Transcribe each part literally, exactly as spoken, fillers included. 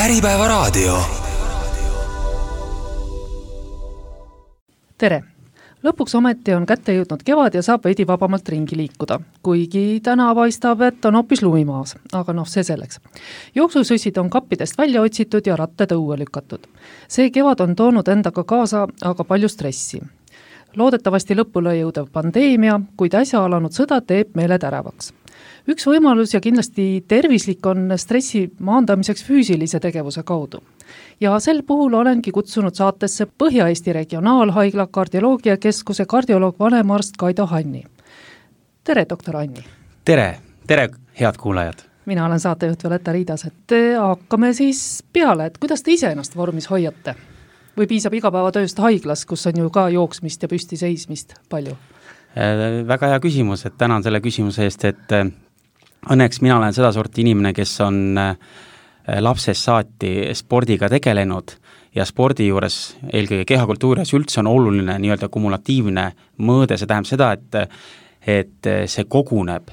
Äripäevaraadio. Tere! Lõpuks ometi on kätte jõudnud kevad ja saab veidi vabamalt ringi liikuda. Kuigi täna paistab, et on hoopis lumimaas, aga noh, see selleks. Jooksusüsid on kappidest välja otsitud ja ratted õue lükatud. See kevad on toonud endaga kaasa aga palju stressi. Loodetavasti lõpule jõudev pandeemia, kuid äsja alanud sõda teeb meele täravaks. Üks võimalus ja kindlasti tervislik on stressi maandamiseks füüsilise tegevuse kaudu. Ja sel puhul olengi kutsunud saatesse Põhja-Eesti Regionaalhaigla kardioloogiakeskuse kardioloog vanemarst Kaido Hanni. Tere, doktor Hanni! Tere! Tere, head kuulajad! Mina olen saatejuht Violetta Riidas, et hakkame siis peale, et kuidas te ise ennast vormis hoiate? Või piisab igapäevatööst haiglas, kus on ju ka jooksmist ja püsti seismist palju? Väga hea küsimus, et tänan selle küsimuse eest, et õnneks mina olen seda sorti inimene, kes on lapsest saati spordiga tegelenud ja spordi juures, eelkõige kehakultuuris üldse on oluline nii-öelda kumulatiivne mõõde, see tähendab seda, et, et see koguneb.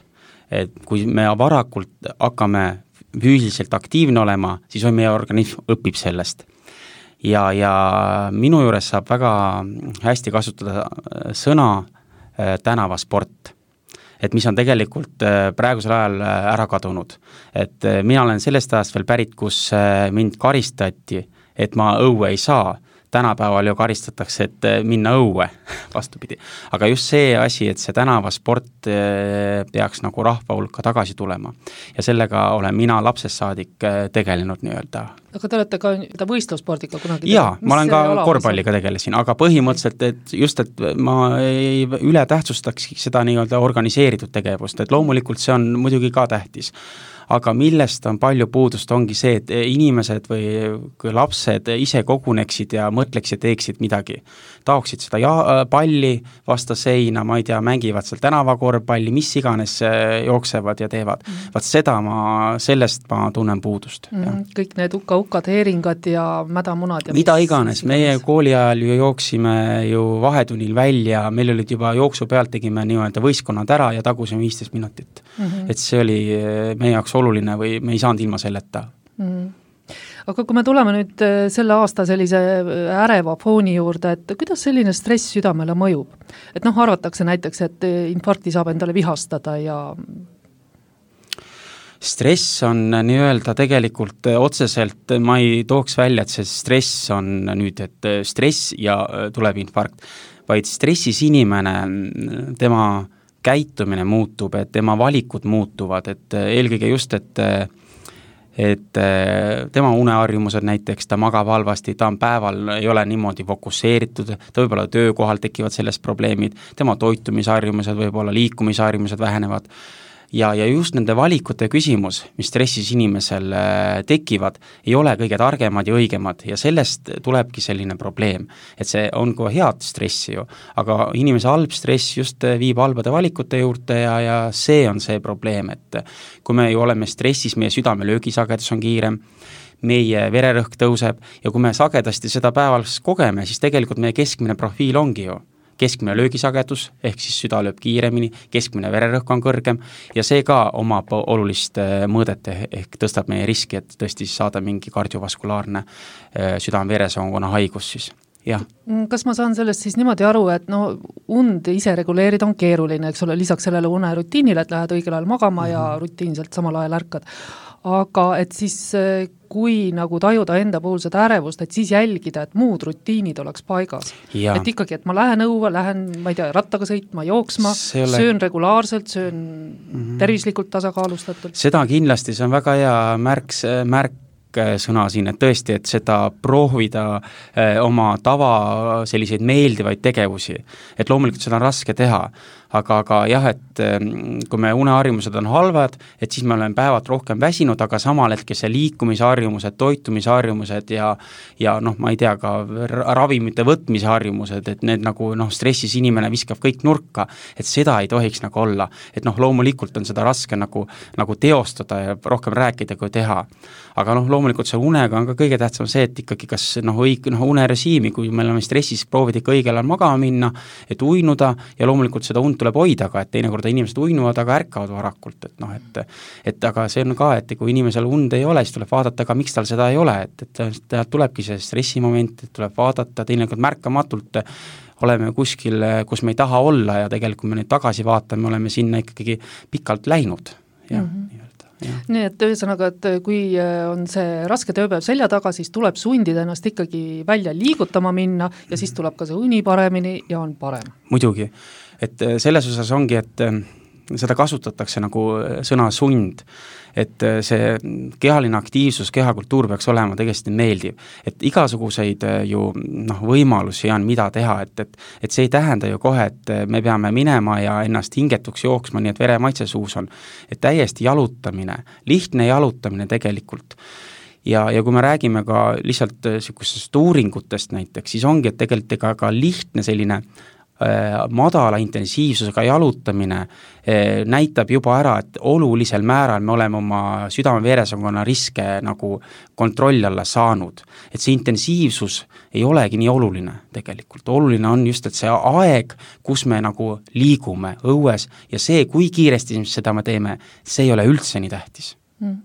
Et kui me varakult hakkame füüsiliselt aktiivne olema, siis on meie organism õpib sellest. Ja, ja minu juures saab väga hästi kasutada sõna tänavasport, et mis on tegelikult praegusel ajal ära kadunud. Et mina olen sellest ajast veel pärit, kus mind karistati, et ma õue ei saa. Tänapäeval ju karistatakse, et minna õue, vastupidi. Aga just see asi, et see tänavasport peaks nagu rahva hulka tagasi tulema. Ja sellega olen mina lapsest saadik tegelenud nii-öelda. Aga te olete ka võistlusspordiga kunagi? Jaa, ma olen ka korvpalliga tegelesin, aga põhimõtteliselt, et just, et ma ei üle tähtsustaks seda nii-öelda organiseeritud tegevust, et loomulikult see on muidugi ka tähtis. Aga millest on palju puudust, ongi see, et inimesed või kui lapsed ise koguneksid ja mõtleksid, teeksid midagi. Taoksid seda ja- palli vasta seina, ma ei tea, mängivad seal tänavakorvpalli, mis iganes jooksevad ja teevad. Mm. Vaat seda ma, sellest ma tunnen puudust. Mm. Kõik need uka-ukad, heeringad ja mädamunad. Ja mida iganes, meie kooli ajal ju jooksime ju vahetunnil välja, meil olid juba jooksu pealt, tegime nii-öelda võistkonnad ära ja tagusime viisteist minutit. Mm-hmm. Et see oli meie jaoks oluline või me ei saanud ilma selleta. Mm. Aga kui me tuleme nüüd selle aasta sellise äreva fooni juurde, et kuidas selline stress südamele mõjub? Et noh, arvatakse näiteks, et infarkti saab endale vihastada ja... Stress on nii-öelda tegelikult otseselt, ma ei tooks välja, et see stress on nüüd, et stress ja tuleb infarkt, vaid stressis inimene, tema käitumine muutub, et tema valikud muutuvad, et eelkõige just, et, et tema uneharjumused näiteks, ta magab halvasti, ta on päeval, ei ole niimoodi fokusseeritud, ta võib-olla töökohal tekivad sellest probleemid, tema toitumisharjumused, võib-olla liikumisharjumused vähenevad. Ja, ja just nende valikute küsimus, mis stressis inimesel tekivad, ei ole kõige targemad ja õigemad ja sellest tulebki selline probleem, et see on ka head stressi ju, aga inimese halb stress just viib halbade valikute juurde ja, ja see on see probleem, et kui me ju oleme stressis, meie südame löögisagedus on kiirem, meie vererõhk tõuseb ja kui me sagedasti seda päevas kogeme, siis tegelikult meie keskmine profiil ongi ju keskmine löögisagedus, ehk siis süda lööb kiiremini, keskmine vererõhk on kõrgem ja see ka omab olulist mõõdet ehk tõstab meie riski, et tõesti saada mingi kardiovaskulaarne südame-veresoonkonna haigus siis. Ja. Kas ma saan sellest siis niimoodi aru, et no und ise reguleerida on keeruline, eks ole, lisaks sellele unerutiinile, et lähed õigel ajal magama mm-hmm. ja rutiinselt samal ajal ärkad. Aga et siis kui nagu tajuda enda puhul seda ärevust, et siis jälgida, et muud rutiinid oleks paigas. Ja. Et ikkagi, et ma lähen õue, lähen, ma ei tea, rattaga sõitma, jooksma, ole... söön regulaarselt, söön mm-hmm. tervislikult tasakaalustatult. Seda kindlasti, see on väga hea märk, märk sõna siin, et tõesti, et seda proovida eh, oma tava selliseid meeldivaid tegevusi, et loomulikult seda on raske teha, aga, aga jah, et kui me uneharjumused on halvad, et siis me oleme päevad rohkem väsinud, aga samal hetkel see liikumisharjumused, toitumisharjumused ja, ja noh, ma ei tea, ka ravimite võtmisharjumused, et need nagu noh, stressis inimene viskab kõik nurka, et seda ei tohiks nagu olla, et noh, loomulikult on seda raske nagu, nagu teostada ja rohkem rääkida kui teha, aga noh, loomulikult see unega on ka kõige tähtsam see, et ikkagi kas noh, õig, noh unerežiimi, kui me oleme stressis, proovida ikka õigel ajal magama minna, et uinuda ja loomulikult seda und und tuleb hoida ka, et teinekord inimesed uinuvad, aga ärkavad varakult, et noh, et et aga see on ka, et kui inimesel und ei ole, siis tuleb vaadata ka, miks tal seda ei ole, et, et ta tulebki see stressimoment, et tuleb vaadata, teinekord märkamatult oleme kuskil, kus me ei taha olla ja tegelikult me nüüd tagasi vaatame, oleme sinna ikkagi pikalt läinud ja mm -hmm. Ja. Nii et ühesõnaga, et kui on see raske tööpäev selja taga, siis tuleb sundida ennast ikkagi välja liigutama minna ja siis tuleb ka see uni paremini ja on parem. Muidugi, et selles osas ongi, et seda kasutatakse nagu sõna sund, et see kehaline aktiivsus, kehakultuur peaks olema tegelikult meeldiv, et igasuguseid ju noh, võimalusi on, mida teha, et, et, et see ei tähenda ju kohe, et me peame minema ja ennast hingetuks jooksma, nii et veremaitse suus on, et täiesti jalutamine, lihtne jalutamine tegelikult. Ja, ja kui me räägime ka lihtsalt niisugustest uuringutest näiteks, siis ongi, et tegelikult ka, ka lihtne selline madala intensiivsusega jalutamine näitab juba ära, et olulisel määral me oleme oma südame-veresoonkonna riske nagu kontrolli alla saanud. Et see intensiivsus ei olegi nii oluline tegelikult. Oluline on just, et see aeg, kus me nagu liigume õues ja see, kui kiiresti seda me teeme, see ei ole üldse nii tähtis. Mm.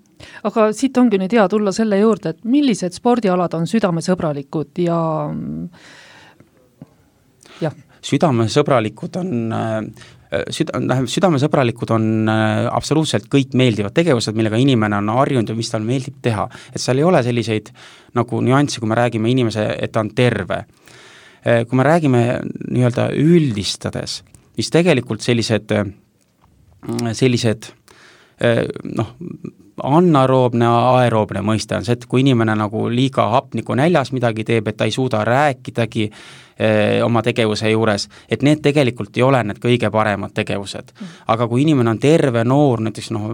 Aga siit ongi nüüd hea tulla selle juurde, et millised spordialad on südamesõbralikud ja jah, südamesõbralikud on, süda, südamesõbralikud on absoluutselt kõik meeldivad tegevused, millega inimene on harjunud ja mis tal meeldib teha. Et seal ei ole selliseid nagu nüansse, kui me räägime inimese, et ta on terve. Kui me räägime nii-öelda üldistades, siis tegelikult sellised, sellised noh, anaeroobne, aeroobne mõiste on see, et kui inimene nagu liiga hapniku näljas midagi teeb, et ta ei suuda rääkidagi eh, oma tegevuse juures, et need tegelikult ei ole need kõige paremad tegevused. Aga kui inimene on terve, noor, näiteks noh,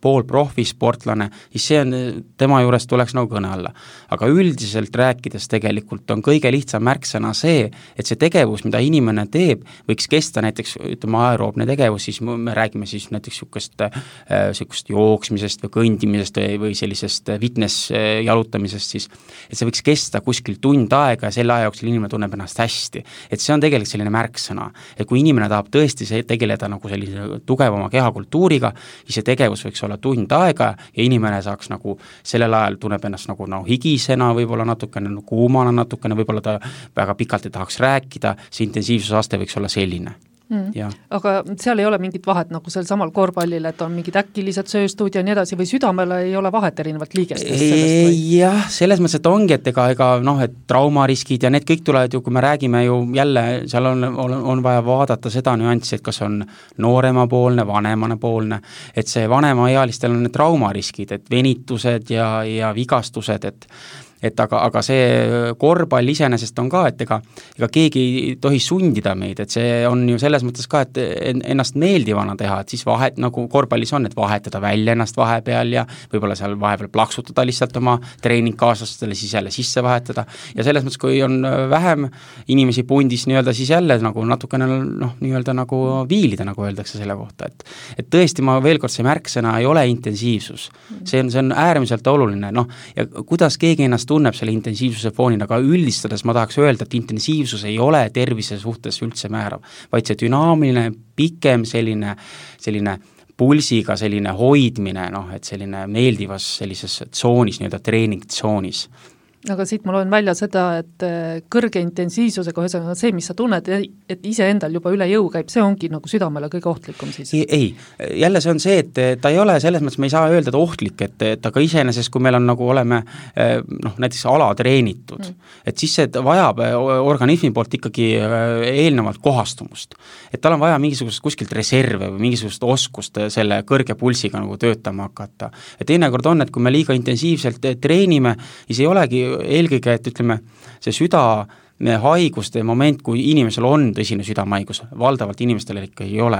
pool profisportlane, siis see on, tema juures tuleks nagu kõne alla. Aga üldiselt rääkides tegelikult on kõige lihtsam märksõna see, et see tegevus, mida inimene teeb, võiks kesta näiteks, ütleme, aeroobne tegevus, siis me räägime siis näiteks sükust, äh, sükust jooksmisest või kõndimisest või, või sellisest fitness jalutamisest siis, et see võiks kesta kuskil tund aega ja selle aja jooksul inimene tunneb ennast hästi. Et see on tegelikult selline märksõna, et kui inimene tahab tõesti see tegeleda nagu sellise tugevama kehakultuuriga, siis see tegevus võiks olla tund aega ja inimene saaks nagu sellel ajal tunneb ennast nagu no, higisena, võib-olla natukene no, kuumana, natukene võib-olla ta väga pikalt ei tahaks rääkida, see intensiivsusaste võiks olla selline. Mm. Aga seal ei ole mingit vahet nagu sel samal korvpallil, et on mingid äkilised sööstud ja nii edasi või südamele ei ole vahet erinevat liigestest sellest? Jah, selles mõttes, et ongi, et ega, ega noh, et traumariskid ja need kõik tulevad ju, kui me räägime ju jälle, seal on, on, on vaja vaadata seda nüanssi, et kas on nooremapoolne, vanemapoolne, et see vanemaealistel on need traumariskid, et venitused ja, ja vigastused, et et aga, aga see korvpall iseenesest on ka, et ega, ega keegi ei tohi sundida meid, et see on ju selles mõttes ka, et ennast meeldivana teha, et siis vahet, nagu korvpallis on, et vahetada välja ennast vahepeal ja võib-olla seal vahepeal plaksutada lihtsalt oma treeningkaaslastele, siis jälle sisse vahetada ja selles mõttes, kui on vähem inimesi pundis nii-öelda, siis jälle nagu natukene noh, nii-öelda nagu viilida, nagu öeldakse selle kohta, et et tõesti, ma veel kord, see märksõna ei ole intensiivsus, see on, see on äärmiselt oluline, noh, ja kuidas keegi ennast tunneb selle intensiivsuse foonina, aga üldistades ma tahaks öelda, et intensiivsus ei ole tervise suhtes üldse määrav, vaid see dünaamiline, pikem selline, selline pulsiga selline hoidmine, noh, et selline meeldivas sellises tsoonis, nii-öelda treeningtsoonis. Aga siit ma loen välja seda, et kõrge intensiivsusega, ühesõnaga see, mis sa tunned, et ise endal juba üle jõu käib, see ongi nagu südamele kõige ohtlikum siis? Ei, ei, jälle see on see, et ta ei ole selles mõttes, me ei saa öelda, et ohtlik, et, et aga iseenesest, kui meil on nagu oleme noh, näiteks alatreenitud, mm. et siis see vajab organismi poolt ikkagi eelnevalt kohastumust. Et tal on vaja mingisugust kuskilt reserve või mingisugust oskust selle kõrge pulsiga nagu töötama hakata. Ja teinekord on, et kui me liiga intensiivselt treenime, siis ei olegi eelkõige, et ütleme, see süda haiguste moment, kui inimesel on tõsine südamehaigus, valdavalt inimestel ikka ei ole,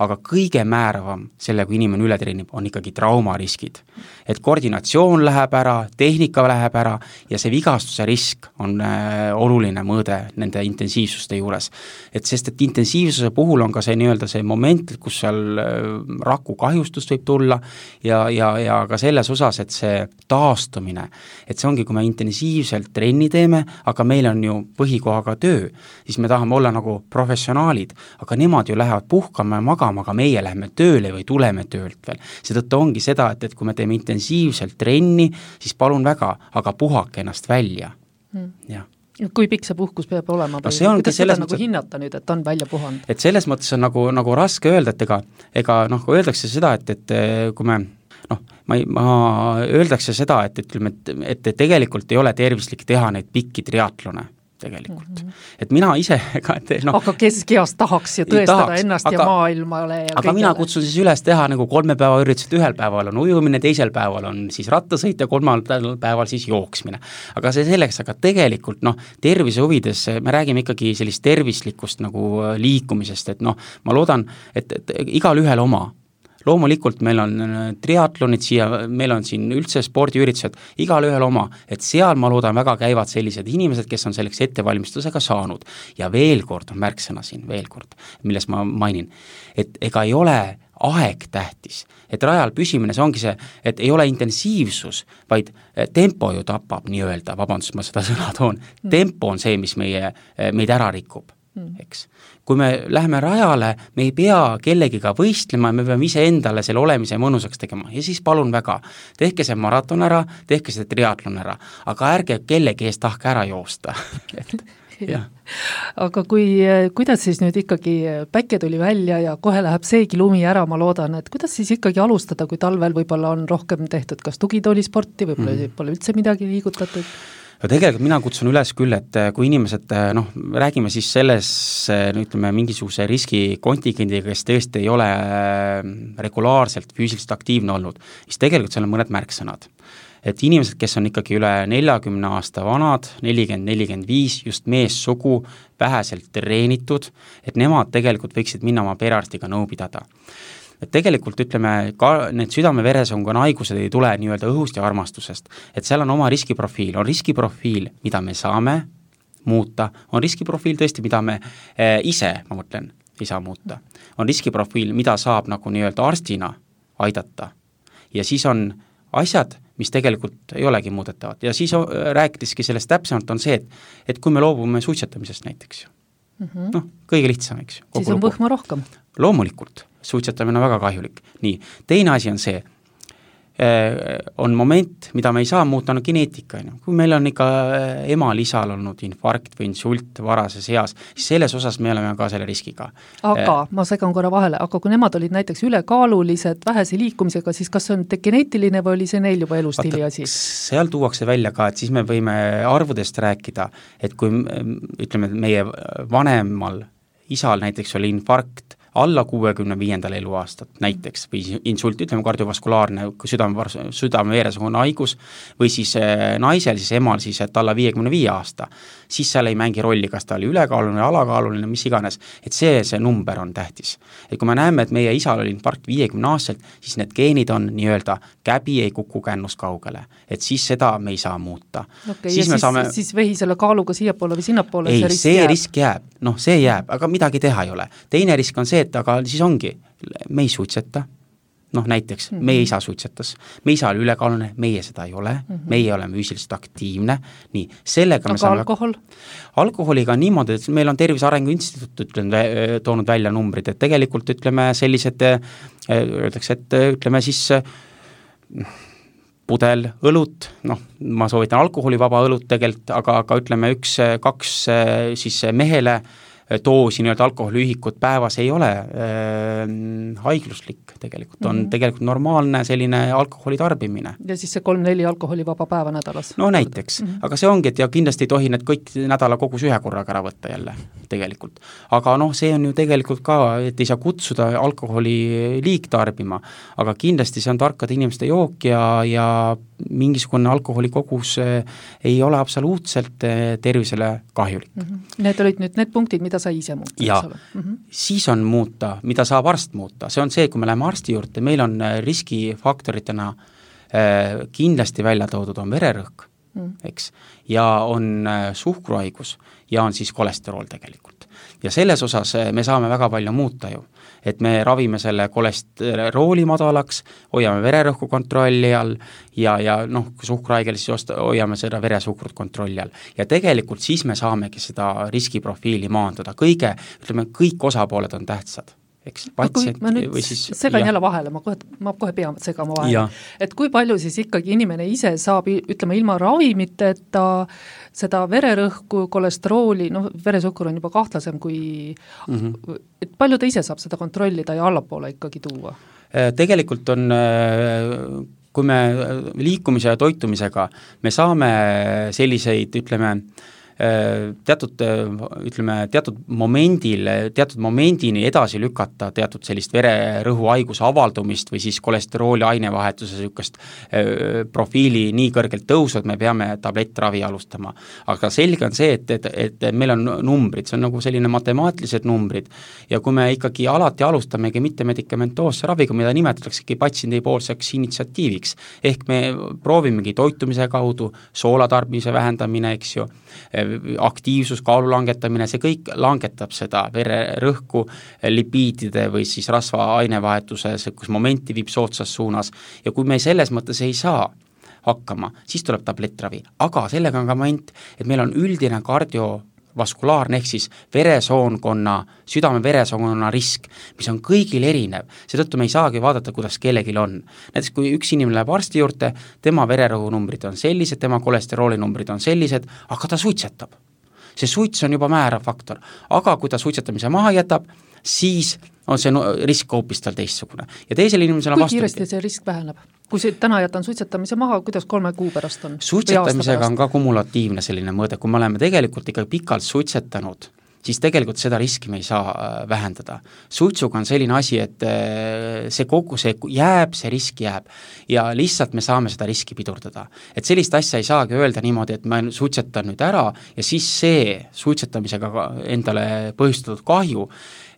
aga kõige määravam selle, kui inimene üle treenib, on ikkagi traumariskid. Et koordinatsioon läheb ära, tehnika läheb ära ja see vigastuse risk on äh, oluline mõõde nende intensiivsuste juures. Et sest, et intensiivsuse puhul on ka see nii-öelda see moment, kus seal äh, raku kahjustust võib tulla ja, ja, ja ka selles osas, et see taastumine, et see ongi, kui me intensiivselt trenni teeme, aga meil on ju põhikohaga töö, siis me tahame olla nagu professionaalid, aga nemad ju lähevad puhkama ja magama, aga meie läheme tööle või tuleme töölt veel. Seetõttu ongi seda, et, et kui me teeme intensiivselt trenni, siis palun väga, aga puhake ennast välja. Hmm. Jah. Kui pikk see puhkus peab olema või no kuidas seda nagu hinnata nüüd, et on välja puhanud? Et selles mõttes on nagu, nagu raske öelda, et ega, ega noh, kui öeldakse seda, et, et kui me noh, ma, ma öeldakse seda, et, ütleme, et, et tegelikult ei ole tervislik teha neid pikki triatlone tegelikult. Mm -hmm. Et mina ise ka, et noh, aga kes keast tahaks ju tõestada tahaks, ennast aga, ja maailmale ja aga kõigele. Mina kutsun siis üles teha nagu kolme päeva üritused, ühel päeval on ujumine, teisel päeval on siis rattasõit ja kolmandal päeval siis jooksmine. Aga see selleks, aga tegelikult noh, tervise huvides me räägime ikkagi sellist tervislikust nagu liikumisest, et noh, ma loodan, et, et igal ühel oma. Loomulikult meil on triatlonid siia, meil on siin üldse spordiüritused, igal ühel oma, et seal ma loodan väga käivad sellised inimesed, kes on selleks ettevalmistusega saanud. Ja veel kord on märksõna siin, veel kord, milles ma mainin, et ega ei ole aeg tähtis, et rajal püsimine, see ongi see, et ei ole intensiivsus, vaid tempo ju tapab nii-öelda, vabandust, ma seda sõna toon, tempo on see, mis meie, meid ära rikub. Eks. Kui me läheme rajale, me ei pea kellegiga võistlema, me peame ise endale selle olemise mõnusaks tegema ja siis palun väga, tehke see maraton ära, tehke see triatlon ära, aga ärge kellegi eest tahke ära joosta. et, ja. Aga kui, kuidas siis nüüd ikkagi päike tuli välja ja kohe läheb seegi lumi ära, ma loodan, et kuidas siis ikkagi alustada, kui talvel võib-olla on rohkem tehtud, kas tugitoolisporti, võib-olla mm. pole üldse midagi liigutatud? Ja tegelikult mina kutsun üles küll, et kui inimesed, noh, räägime siis selles, ütleme, mingisuguse riskikontingendiga, kes tõesti ei ole regulaarselt füüsiliselt aktiivne olnud, siis tegelikult seal on mõned märksõnad. Et inimesed, kes on ikkagi üle neljakümne aasta vanad, nelikümmend nelikümmend viis, just meessugu, väheselt treenitud, et nemad tegelikult võiksid minna oma perearstiga nõu pidada. Et tegelikult ütleme, ka need südame-veresoonkonna haigused ei tule nii-öelda õhust ja armastusest, et seal on oma riskiprofiil, on riskiprofiil, mida me saame muuta, on riskiprofiil tõesti, mida me eh, ise, ma mõtlen, ei saa muuta, on riskiprofiil, mida saab nagu nii-öelda arstina aidata ja siis on asjad, mis tegelikult ei olegi muudetavad ja siis rääkideski sellest täpsemalt on see, et, et kui me loobume suitsetamisest näiteks, mm -hmm. noh, kõige lihtsam, eks. Siis on võhma rohkem. Loomulikult. Suitsetamine on väga kahjulik. Nii, teine asi on see, on moment, mida me ei saa muuta, on geneetika. Kui meil on ikka emal isal olnud infarkt või insult varases eas, siis selles osas me oleme ka selle riskiga. Aga, ma segan korra vahele, aga kui nemad olid näiteks ülekaalulised, vähese liikumisega, siis kas see on geneetiline või oli see neil juba elustiili asi? Seal tuuakse välja ka, et siis me võime arvudest rääkida, et kui ütleme, meie vanemal isal näiteks oli infarkt, alla kuuekümne viiendal eluaastat näiteks või insult, ütleme kardiovaskulaarne südame, südame-veresoonkonna haigus või siis naisel, siis emal siis, et alla viiekümne viie aasta, siis seal ei mängi rolli, kas ta oli ülekaaluline, alakaaluline, mis iganes, et see, see number on tähtis. Et kui me näeme, et meie isal oli infarkt viiekümne aastaselt, siis need geenid on nii-öelda käbi ei kuku kännus kaugele, et siis seda me ei saa muuta. Okay, siis, siis, saame... siis vehi selle kaaluga siiapoole või sinnapoole? Ei, see risk see jääb. risk jääb, noh, see jääb, aga midagi teha ei ole. Teine risk on see, et aga siis ongi, me ei suitseta, noh näiteks, mm-hmm. meie isa suitsetas, meie isa oli ülekaaluline, meie seda ei ole, mm-hmm. meie oleme füüsiliselt aktiivne, nii, sellega aga me saame... alkohol? Alkoholiga on niimoodi, et meil on Tervise Arengu Instituut ütleme, toonud välja numbrid, et tegelikult ütleme sellised, öeldakse, et ütleme siis pudel õlut, noh, ma soovitan alkoholivaba õlut tegelikult, aga, aga ütleme üks, kaks siis mehele doosi nii-öelda alkoholiühikut päevas ei ole äh, haigluslik tegelikult, on mm -hmm. tegelikult normaalne selline alkoholi tarbimine. Ja siis see kolm-neli alkoholivaba päeva nädalas? No näiteks, mm -hmm. aga see ongi, et ja kindlasti ei tohi need kõik nädala kogus ühe korraga ära võtta jälle tegelikult. Aga noh, see on ju tegelikult ka, et ei saa kutsuda alkoholi liigtarbima, aga kindlasti see on tarkade inimeste jook ja, ja mingisugune alkoholikogus ei ole absoluutselt tervisele kahjulik. Mm -hmm. Need olid nüüd need punktid, mida sai ise muuta. Ja mm -hmm. siis on muuta, mida saab arst muuta, see on see, kui me läheme arsti juurde, meil on riskifaktoritena äh, kindlasti välja toodud on vererõhk, mm. eks, ja on suhkruhaigus ja on siis kolesterool tegelikult. Ja selles osas me saame väga palju muuta ju, et me ravime selle kolesterooli madalaks, hoiame vererõhku kontrolli all ja, ja noh, kui suhkruhaigel, siis osta, hoiame seda veresuhkrut kontrolli all. Ja tegelikult siis me saamegi seda riskiprofiili maandada. Kõige, ütleme, kõik osapooled on tähtsad. Eks, patsient, ma nüüd või siis, segan jälle vahele, ma kohe, ma kohe pean segama vahele, et kui palju siis ikkagi inimene ise saab, ütleme, ilma ravimite, et ta seda vererõhku, kolesterooli, noh, veresuhkur on juba kahtlasem kui mm, -hmm. et palju ta ise saab seda kontrollida ja allapoole ikkagi tuua? Tegelikult on, kui me liikumise ja toitumisega, me saame selliseid, ütleme, teatud, ütleme, teatud momendil, teatud momendini edasi lükata teatud sellist vererõhu haiguse avaldumist või siis kolesterooli ainevahetuse sükast profiili nii kõrgelt tõusud, me peame tablettravi alustama. Aga selge on see, et, et, et meil on numbrid, see on nagu selline matemaatilised numbrid ja kui me ikkagi alati alustamegi mitte medikamentoosse raviga, mida nimetataksegi patsiendi poolseks initsiatiiviks, ehk me proovimegi toitumise kaudu, soolatarbimise vähendamine, eks ju, aktiivsus, kaalu langetamine, see kõik langetab seda vererõhku, lipiidide või siis rasva ainevahetuses, kus momenti viib soodsas suunas ja kui me selles mõttes ei saa hakkama, siis tuleb tablettravi, aga sellega on ka moment, et meil on üldine kardio vaskulaarne ehk siis veresoonkonna, südame-veresoonkonna risk, mis on kõigil erinev, seetõttu me ei saagi vaadata, kuidas kellelgi on. Näiteks kui üks inimene läheb arsti juurde, tema vererõhunumbrid on sellised, tema kolesterolinumbrid on sellised, aga ta suitsetab. See suits on juba määrav faktor, aga kui ta suitsetamise maha jätab, siis on see risk hoopis tal teistsugune. Ja teisel inimesel on kui kiiresti see risk väheneb? Kui see täna jätan suitsetamise maha, kuidas kolme kuu pärast on? Suitsetamisega on ka kumulatiivne selline mõõde, kui me oleme tegelikult ikka pikalt suitsetanud, siis tegelikult seda riski me ei saa vähendada. Suitsuga on selline asi, et see kogu see jääb, see risk jääb ja lihtsalt me saame seda riski pidurdada. Et sellist asja ei saagi öelda niimoodi, et ma suitsetan nüüd ära ja siis see suitsetamisega endale põhjustatud kahju,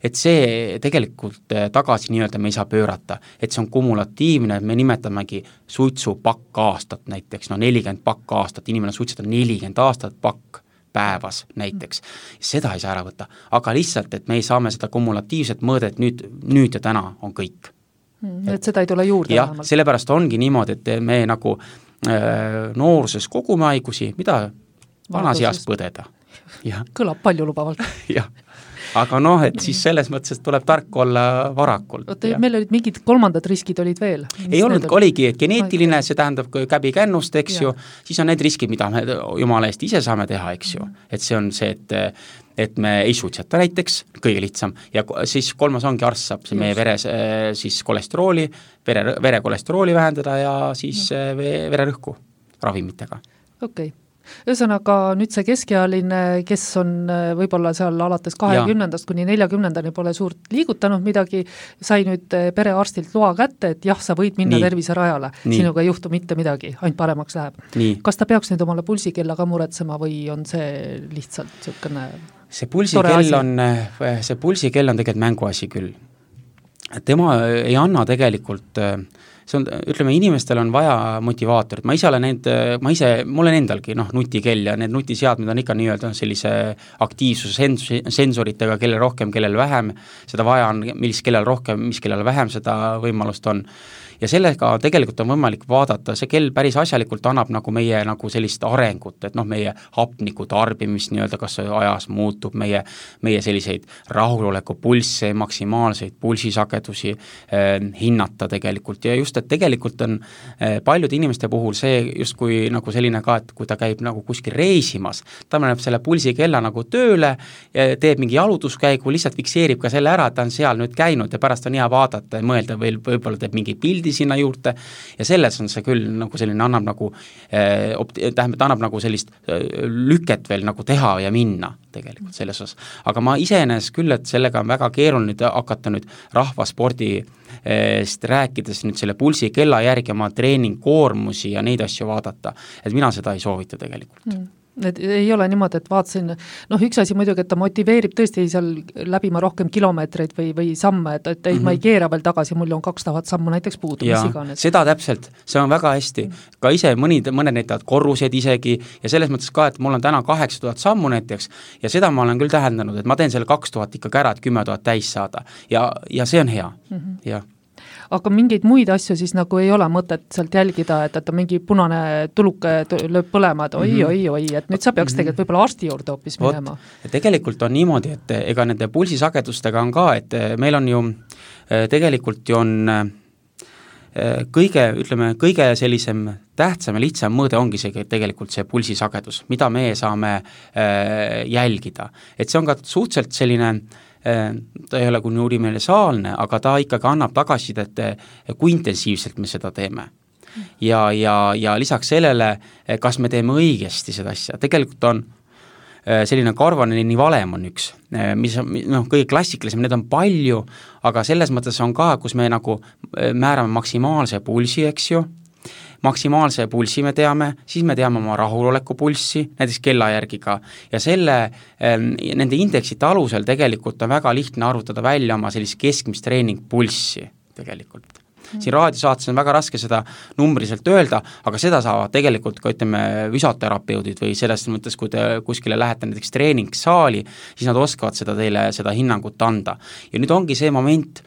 et see tegelikult tagasi nii-öelda me ei saa pöörata, et see on kumulatiivne, me nimetamegi suitsu pakk aastat näiteks, no nelikümmend pakk aastat, inimene suitsetab nelikümmend aastat pakk päevas näiteks, seda ei saa ära võtta, aga lihtsalt, et me ei saame seda kumulatiivset mõõdet nüüd, nüüd ja täna on kõik. Mm, et, et seda ei tule juurde? Jah, sellepärast ongi niimoodi, et me nagu äh, nooruses kogume haigusi, mida vanas eas põdeda. Ja. Kõlab palju lubavalt. Jah. Aga noh, et siis selles mõttes, et tuleb tark olla varakult. Oota, meil olid mingid kolmandad riskid olid veel? Ei olnud, oligi geneetiline, see tähendab käbi kännust, eks ja. Ju, siis on need riskid, mida me jumala eest ise saame teha, eks ju. Et see on see, et, et me ei suitseta näiteks, kõige lihtsam, ja siis kolmas ongi arst saab see meie veres siis kolesterooli, vere, verekolesterooli vähendada ja siis ja. Vererõhku ravimitega. Okei. Okay. Ühesõnaga nüüd see keskealine, kes on võib-olla seal alates kahekümnendast kuni neljakümnendani pole suurt liigutanud midagi, sai nüüd perearstilt loa kätte, et jah, sa võid minna Nii. Terviserajale, Nii. Sinuga ei juhtu mitte midagi, ainult paremaks läheb. Nii. Kas ta peaks nüüd omale pulsikella ka muretsema või on see lihtsalt niisugune see pulsikell on, see pulsikell on tegelikult mänguasi küll. Tema ei anna tegelikult see on, ütleme, inimestel on vaja motivaatorit, ma ise olen need, ma ise, mul on endalgi, noh, nutikell ja need nutiseadmed on ikka nii-öelda sellise aktiivsuse sensoritega, kellel rohkem, kellel vähem, seda vaja on, mis kellel rohkem, mis kellel vähem seda võimalust on. Ja sellega tegelikult on võimalik vaadata, see kell päris asjalikult annab nagu meie nagu sellist arengut, et noh, meie hapniku tarbimist nii-öelda, kas ajas muutub, meie, meie selliseid rahuloleku pulsse, maksimaalseid pulsisagedusi eh, hinnata tegelikult ja just, et tegelikult on eh, paljude inimeste puhul see just kui nagu selline ka, et kui ta käib nagu kuskil reisimas, ta paneb selle pulsikella nagu tööle, teeb mingi jalutuskäigu, lihtsalt fikseerib ka selle ära, et ta on seal nüüd käinud ja pärast on hea vaadata ja mõelda või võib-olla teeb mingi pildi sinna juurde ja selles on see küll nagu selline annab nagu eh, tähendab, ta annab nagu sellist eh, lüket veel nagu teha ja minna tegelikult selles osas. Aga ma iseenes küll, et sellega on väga keeruline hakata nüüd rahvaspordist rääkides nüüd selle pulsi kella järgi oma treeningkoormusi ja neid asju vaadata, et mina seda ei soovita tegelikult. Mm. et ei ole niimoodi, et vaatasin, noh, üks asi muidugi, et ta motiveerib tõesti seal läbima rohkem kilomeetreid või, või samme, et, et ei, mm-hmm. ma ei keera veel tagasi, mul on kaks tuhat sammu näiteks puudu, mis iganes. Seda täpselt, see on väga hästi. Ka ise mõnid, mõned näitavad korrused isegi ja selles mõttes ka, et mul on täna kaheksa tuhat sammu näiteks ja seda ma olen küll tähendanud, et ma teen selle kaks tuhat ikkagi ära, et kümme tuhat täis saada ja, ja see on hea, mm-hmm. jah. Aga mingeid muid asju siis nagu ei ole mõtet sealt jälgida, et, et mingi punane tuluke lööb põlema, et oi, mm-hmm. oi, oi, et nüüd sa peaks tegelikult võib-olla arsti juurde hoopis minema. Ja tegelikult on niimoodi, et ega nende pulsisagedustega on ka, et meil on ju, tegelikult ju on kõige, ütleme, kõige sellisem tähtsam ja lihtsam mõõde ongi see tegelikult see pulsisagedus, mida me saame jälgida. Et see on ka suhteliselt selline ta ei ole kuni universaalne, aga ta ikkagi annab tagasisidet, kui intensiivselt me seda teeme. Ja, ja, ja lisaks sellele, kas me teeme õigesti seda asja. Tegelikult on selline Karvaneni valem on üks, mis on noh, kõige klassikalisem, need on palju, aga selles mõttes on ka, kus me nagu määrame maksimaalse pulsi, eks ju, maksimaalse pulsi me teame, siis me teame oma rahuloleku pulssi, näiteks kella järgi ka, ja selle, nende indeksite alusel tegelikult on väga lihtne arvutada välja oma sellist keskmist treeningpulssi tegelikult. Siin raadiosaates on väga raske seda numbriliselt öelda, aga seda saavad tegelikult ka, ütleme, füsioterapeudid või selles mõttes, kui te kuskile lähete näiteks treeningsaali, siis nad oskavad seda teile, seda hinnangut anda. Ja nüüd ongi see moment,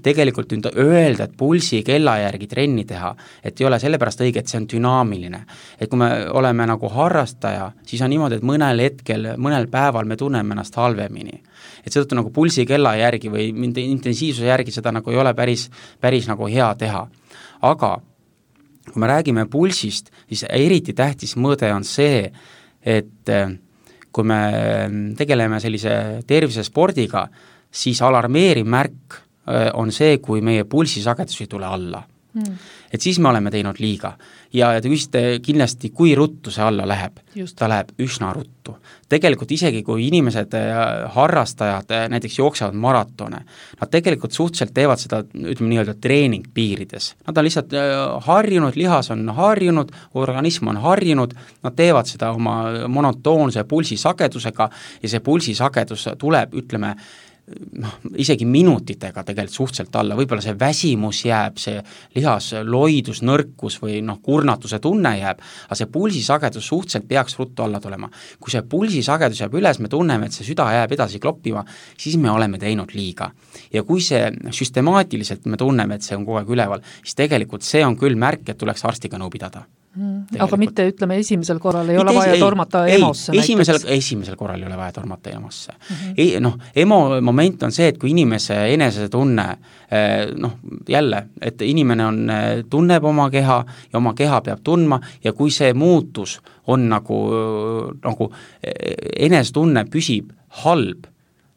tegelikult nüüd öelda, et pulsi kella järgi trenni teha, et ei ole sellepärast õige, et see on dünaamiline. Et kui me oleme nagu harrastaja, siis on niimoodi, et mõnel hetkel, mõnel päeval me tunneme ennast halvemini. Et seetõttu nagu pulsi kella järgi või intensiivsuse järgi seda nagu ei ole päris, päris nagu hea teha. Aga kui me räägime pulsist, siis eriti tähtis mõõde on see, et kui me tegeleme sellise tervisespordiga, siis alarmeeriv märk on see, kui meie pulsisagedus ei tule alla. Mm. Et siis me oleme teinud liiga. Ja te küsite kindlasti, kui ruttu see alla läheb. Just. Ta läheb üsna ruttu. Tegelikult isegi, kui inimesed, harrastajad näiteks jooksevad maratone, nad tegelikult suhteliselt teevad seda, ütleme nii-öelda treeningpiirides. Nad on lihtsalt harjunud, lihas on harjunud, organism on harjunud, nad teevad seda oma monotoonse pulsisagedusega ja see pulsisagedus tuleb, ütleme, noh, isegi minutitega tegelikult suhteliselt alla, võib-olla see väsimus jääb, see lihas loidus, nõrkus või noh, kurnatuse tunne jääb, aga see pulsisagedus suhteliselt peaks ruttu alla tulema. Kui see pulsisagedus jääb üles, me tunneme, et see süda jääb edasi kloppima, siis me oleme teinud liiga. Ja kui see süstemaatiliselt me tunneme, et see on kogu aeg üleval, siis tegelikult see on küll märk, et tuleks arstiga nõu pidada. Hmm. Aga mitte, ütleme, esimesel korral ei ole vaja ei, tormata ei, emosse ei, esimesel, esimesel korral ei ole vaja tormata emosse. Mm-hmm. Ei, noh, emo moment on see, et kui inimese enese tunne, noh, jälle, et inimene on, tunneb oma keha ja oma keha peab tundma ja kui see muutus on nagu, nagu enesetunne püsib halb,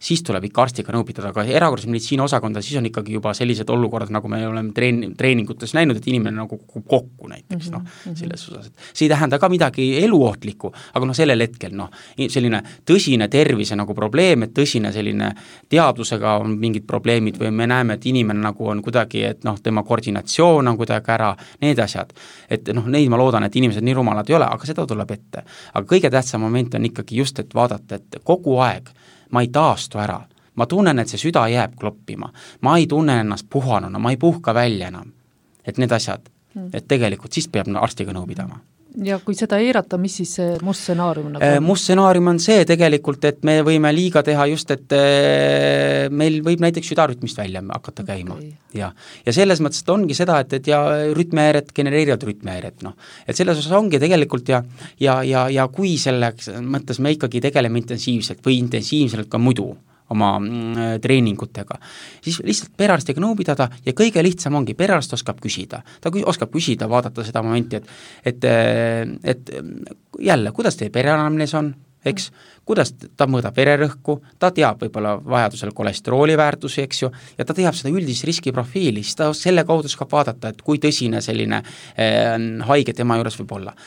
siis tuleb ikka arstiga nõu pidada, aga erakorralise meditsiini osakonda, siis on ikkagi juba sellised olukorrad, nagu me oleme treen, treeningutes näinud, et inimene nagu kokku näiteks, noh, selles osas. See ei tähenda ka midagi eluohtlikku, aga noh, sellel hetkel, noh, selline tõsine tervise nagu probleem, et tõsine selline teadvusega on mingid probleemid või me näeme, et inimene nagu on kuidagi, et noh, tema koordinatsioon on kuidagi ära, need asjad. Et noh, neid ma loodan, et inimesed nii rumalad ei ole, aga seda tuleb ette. Aga kõige tähtsam moment on ikkagi just, et vaadata, et kogu aeg ma ei taastu ära, ma tunnen, et see süda jääb kloppima, ma ei tunne ennast puhanuna, ma ei puhka välja enam, et need asjad, et tegelikult siis peab arstiga nõu pidama. Ja kui seda eirata, mis siis see must stsenaarium nagu on? Must stsenaarium on see tegelikult, et me võime liiga teha just, et meil võib näiteks südarütmist välja hakata käima. Okay. Ja, ja selles mõttes ongi seda, et, et ja rütmehäired genereerivad rütmehäired, noh. Et selles osas ongi tegelikult ja, ja, ja, ja kui selleks mõttes me ikkagi tegeleme intensiivselt või intensiivselt ka muidu oma mm, treeningutega, siis lihtsalt perearstiga nõu pidada ja kõige lihtsam ongi, perearst oskab küsida, ta oskab küsida, vaadata seda momenti, et, et, et jälle, kuidas teie pereanamnees on, eks, kuidas ta mõõdab vererõhku, ta teab võib-olla vajadusel kolesterooli väärtusi, eks ju, ja ta teab seda üldist riskiprofiili, siis ta selle kaudu oskab vaadata, et kui tõsine selline eh, haige tema juures võib olla.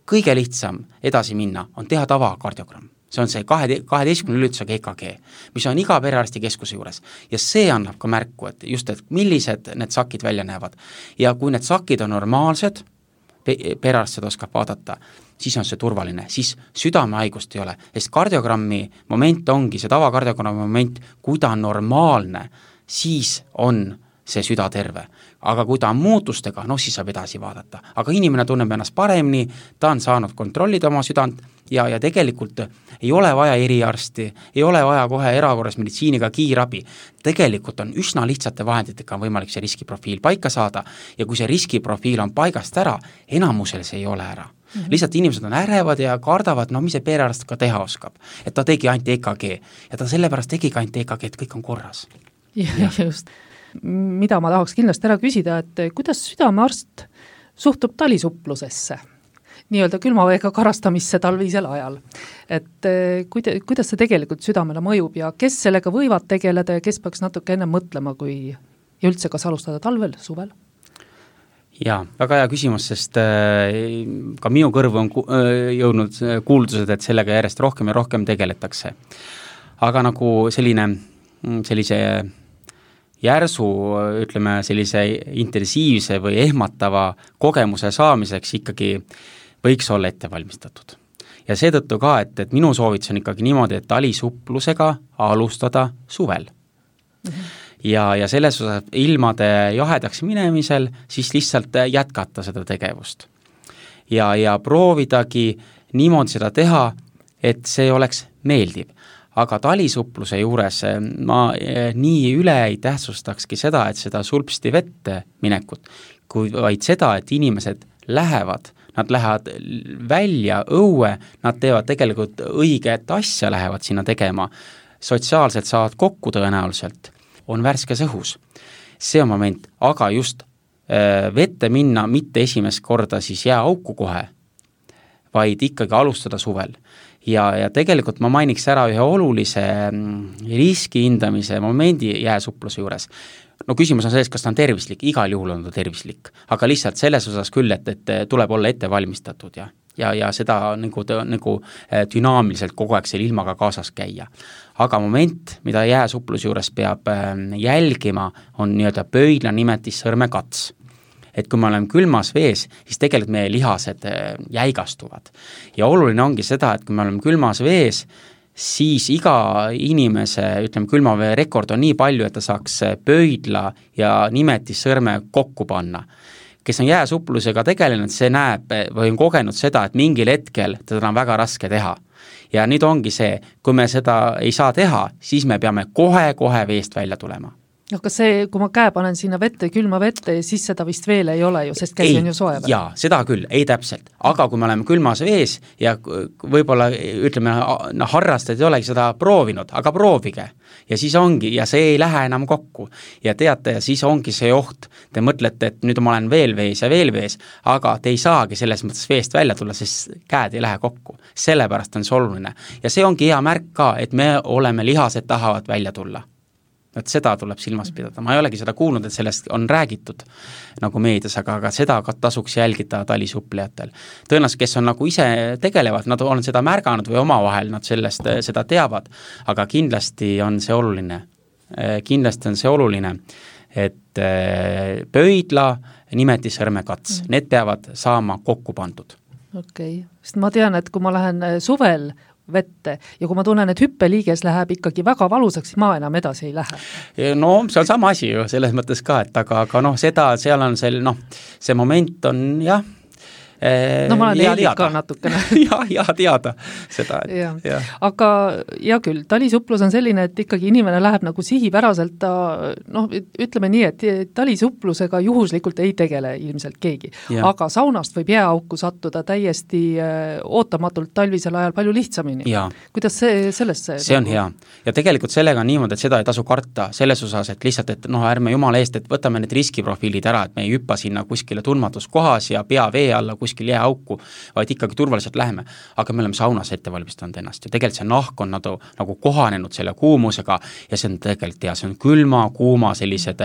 Kõige lihtsam edasi minna on teha tavakardiogramm. See on see kaheteistkümne lülitusega E K G, mis on iga perearsti keskuse juures. Ja see annab ka märku, et just, et millised need sakid välja näevad. Ja kui need sakid on normaalsed, pe-, perearst seda oskab vaadata, siis on see turvaline, siis südamehaigust ei ole, sest kardiogrammi moment ongi see tavakardiograami moment, kui ta on normaalne, siis on see süda terve. Aga kui ta on muutustega, noh siis saab edasi vaadata. Aga inimene tunneb ennast paremini, ta on saanud kontrollida oma südant ja, ja tegelikult ei ole vaja eriarsti, ei ole vaja kohe erakorras meditsiiniga kiirabi. Tegelikult on üsna lihtsate vahenditega on võimalik see riskiprofiil paika saada ja kui see riskiprofiil on paigast ära, enamusel see ei ole ära. Mm-hmm. Lihtsalt inimesed on ärevad ja kardavad, no mis see perearst ka teha oskab. Et ta tegi ainult E K G ja ta sellepärast tegi ainult E K G, et kõik on korras. Ja, ja. just. Mida ma tahaks kindlasti ära küsida, et kuidas südamearst suhtub talisupplusesse, nii-öelda külmaveega karastamisse talvisel ajal. Et kuida, kuidas see tegelikult südamele mõjub ja kes sellega võivad tegeleda ja kes peaks natuke enne mõtlema, kui ja üldse kas alustada talvel, suvel? Jaa, väga hea küsimus, sest äh, ka minu kõrvu on ku- äh, jõudnud kuuldused, et sellega järjest rohkem ja rohkem tegeletakse. Aga nagu selline, sellise järsu, ütleme, sellise intensiivse või ehmatava kogemuse saamiseks ikkagi võiks olla ette valmistatud. Ja seetõttu ka, et, et minu soovitus on ikkagi niimoodi, et talisupplusega alustada suvel. Mm-hmm. Ja, ja selles osas ilmade jahedaks minemisel siis lihtsalt jätkata seda tegevust. Ja, ja proovidagi niimoodi seda teha, et see oleks meeldiv. Aga talisupluse juures ma nii üle ei tähtsustakski seda, et seda sulpsti vette minekut, kui vaid seda, et inimesed lähevad, nad lähevad välja õue, nad teevad tegelikult õiget asja, lähevad sinna tegema, sotsiaalselt saavad kokku tõenäoliselt, on värskes õhus. See on moment, aga just vette minna mitte esimest korda siis jääauku kohe, vaid ikkagi alustada suvel. Ja, ja tegelikult ma mainiks ära ühe olulise riski hindamise momendi jääsupluse juures. No küsimus on selles, kas ta on tervislik, igal juhul on ta tervislik, aga lihtsalt selles osas küll, et, et tuleb olla ette valmistatud ja, ja, ja seda nagu, nagu dünaamiliselt kogu aeg selle ilmaga kaasas käia. Aga moment, mida jääsupluse juures peab jälgima, on nii-öelda pöidla nimetis sõrmekats. Et kui me oleme külmas vees, siis tegelikult meie lihased jäigastuvad. Ja oluline ongi seda, et kui me oleme külmas vees, siis iga inimese, ütleme, külmavee rekord on nii palju, et ta saaks pöidla ja nimetis sõrme kokku panna. Kes on jääsuplusega tegelenud, see näeb või on kogenud seda, et mingil hetkel teda on väga raske teha. Ja nüüd ongi see, kui me seda ei saa teha, siis me peame kohe-kohe veest välja tulema. No kas see, kui ma käe panen sinna vette, külma vette, siis seda vist veel ei ole ju, sest käsi on ju soe. Jaa, seda küll, ei täpselt. Aga kui me oleme külmas vees ja võib-olla, ütleme, no, harrastajad ei olegi seda proovinud, aga proovige. Ja siis ongi, ja see ei lähe enam kokku. Ja teate, ja siis ongi see oht. Te mõtlete, et nüüd ma olen veel vees ja veel vees, aga te ei saagi selles mõttes veest välja tulla, sest käed ei lähe kokku. Sellepärast on see oluline. Ja see ongi hea märk ka, et me oleme lihased tahavad välja tulla. Et seda tuleb silmas pidada. Ma ei olegi seda kuulnud, et sellest on räägitud nagu meedias, aga, aga seda tasuks jälgida talisupplejatel. Tõenäoliselt, kes on nagu ise tegelevad, nad on seda märganud või omavahel nad sellest seda teavad, aga kindlasti on see oluline. Kindlasti on see oluline, et pöidla, nimetis sõrmekats, need peavad saama kokku pandud. Okei, sest ma tean, et kui ma lähen suvel vette ja kui ma tunnen, et hüppeliiges läheb ikkagi väga valusaks, siis ma enam edasi ei lähe. No see on sama asi ju selles mõttes ka, et aga, aga noh, seda, seal on see, noh, see moment on jah, no ma olen eelik ka natukene. ja, ja teada seda. Et, ja. Ja. Aga hea küll, talisuplus on selline, et ikkagi inimene läheb nagu sihipäraselt, ta, noh, ütleme nii, et talisupplusega juhuslikult ei tegele ilmselt keegi. Ja. Aga saunast võib jääauku sattuda täiesti ootamatult talvisel ajal palju lihtsamini. Ja. Kuidas see sellesse? See on hea. Ja tegelikult sellega on niimoodi, et seda ei tasu karta selles osas, et lihtsalt, et noh, ärme jumala eest, et võtame need riskiprofiilid ära, et me ei hüppa sinna kuskile tundmatus kohas ja pea vee alla kuskil kuskil jääauku, vaid ikkagi turvaliselt läheme. Aga me oleme saunas ette valmistanud ennast ja tegelikult see nahk on nagu, nagu kohanenud selle kuumusega ja see on tegelikult hea, see on külma, kuuma sellised,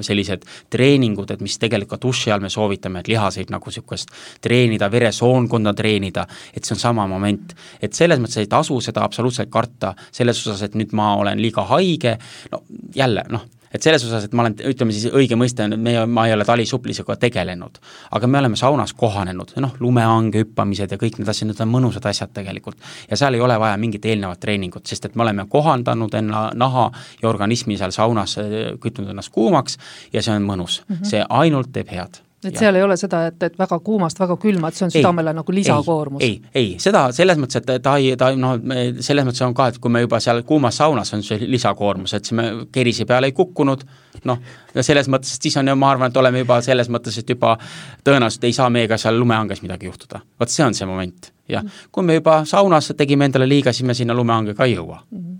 sellised treeningud, et mis tegelikult duši all me soovitame, et lihaseid nagu sükust treenida, veresoonkonda treenida, et see on sama moment. Et selles mõttes ei tasu seda absoluutselt karta selles osas, et nüüd ma olen liiga haige, no jälle, noh, et selles osas, et ma olen, ütleme siis õige mõiste, me, ma ei ole talisuuplusega tegelenud, aga me oleme saunas kohanenud, noh, lumehange hüppamised ja kõik need asjad, need on mõnusad asjad tegelikult. Ja seal ei ole vaja mingit eelnevat treeningut, sest et me oleme kohandanud enna naha ja organismi seal saunas, kütnud ennast kuumaks ja see on mõnus. Mm -hmm. See ainult teeb head. Et ja. seal ei ole seda, et, et väga kuumast, väga külma, et see on südamele ei, nagu lisakoormus. Ei, ei, ei, seda selles mõttes, et ta ei, ta, no, selles mõttes on ka, et kui me juba seal kuumas saunas on see lisakoormus, et me kerisi peale ei kukkunud, noh, ja selles mõttes, et siis on ju, ma arvan, et oleme juba selles mõttes, et juba tõenäoliselt ei saa meiega seal lumehanges midagi juhtuda. Vot see on see moment. Ja mm. kui me juba saunas tegime endale liiga, siis me sinna lumehangega ei jõua. Mm.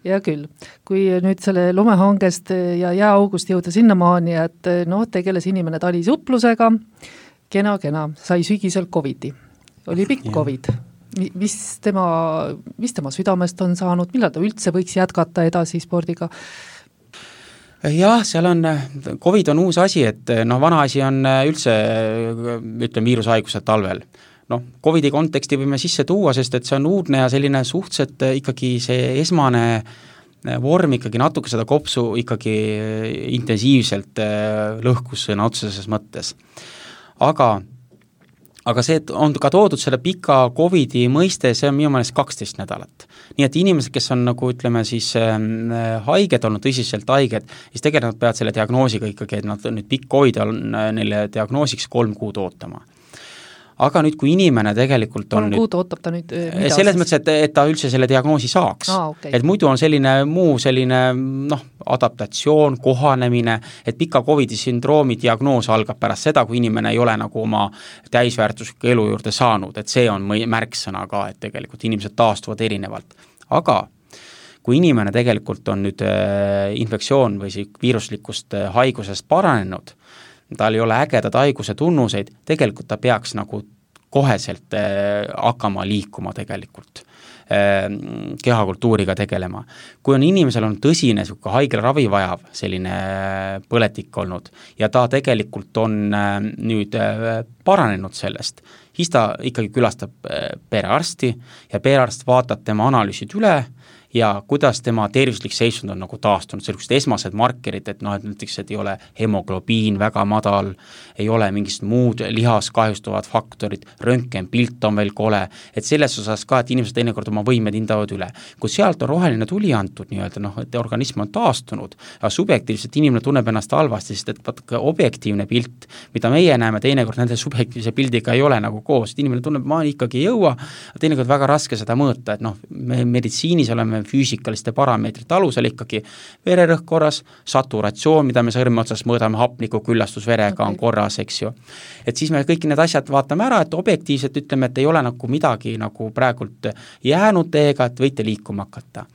Ja küll, kui nüüd selle lumehangest ja jääaugust jõuda sinnamaani, et noh, tegeles inimene talisuuplusega, kena-kena, sai sügisel covidi. Oli pikk covid. Mis tema, mis tema südamest on saanud, millal ta üldse võiks jätkata edasi spordiga? Jah, seal on, covid on uus asi, et noh, vana asi on üldse, ütleme, viirushaigused talvel. Noh, covidi konteksti võime sisse tuua, sest et see on uudne ja selline suhteliselt ikkagi see esmane vorm ikkagi natuke seda kopsu ikkagi intensiivselt lõhkus sõna otseses mõttes. Aga, aga see on ka toodud selle pika covidi mõiste, see on minu meelest kaksteist nädalat. Nii et inimesed, kes on nagu ütleme siis haiged olnud, tõsiselt haiged, siis tegelikult nad peavad selle diagnoosiga ikkagi, et nad nüüd pikk covid on neile diagnoosiks kolm kuud ootama. Aga nüüd, kui inimene tegelikult on nüüd, ootab ta nüüd mida selles siis? Mõttes, et, et ta üldse selle diagnoosi saaks. Ah, okay. Et muidu on selline muu selline noh, adaptatsioon, kohanemine, et pika covidi sündroomi diagnoos algab pärast seda, kui inimene ei ole nagu oma täisväärtusliku elu juurde saanud, et see on märksõna ka, et tegelikult inimesed taastuvad erinevalt. Aga kui inimene tegelikult on nüüd infektsioon või viiruslikust haigusest paranenud, tal ei ole ägedad haiguse tunnuseid, tegelikult ta peaks nagu koheselt äh, hakkama liikuma tegelikult, äh, kehakultuuriga tegelema. Kui on inimesel on tõsine haigla ravi vajav selline põletik olnud ja ta tegelikult on äh, nüüd äh, paranenud sellest, siis ta ikkagi külastab äh, perearsti ja perearst vaatab tema analüüsid üle ja kuidas tema tervislik seisund on nagu taastunud, sellised esmased markerid, et noh, et näiteks, et ei ole hemoglobiin väga madal, ei ole mingist muud lihas kahjustuvad faktorid, röntgenpilt on veel kole, et selles osas ka, et inimesed teinekord oma võimed hindavad üle. Kui sealt on roheline tuli antud nii-öelda, noh, et organism on taastunud, aga subjektiivselt inimene tunneb ennast halvasti, sest et vaata objektiivne pilt, mida meie näeme, teinekord nende subjektiivse pildiga ei ole nagu koos, et inimene tunneb, ma ikkagi ei jõua, teinekord väga raske seda mõõta, et noh, me meditsiinis oleme füüsikaliste parameetrite alusel ikkagi vererõhk korras, saturatsioon, mida me sõrme otsas mõõdame, hapniku küllastus verega okay. on korras, eks ju. Et siis me kõik need asjad vaatame ära, et objektiivselt ütleme, et ei ole nagu midagi nagu praegult jäänud teega, et võite liikuma hakata.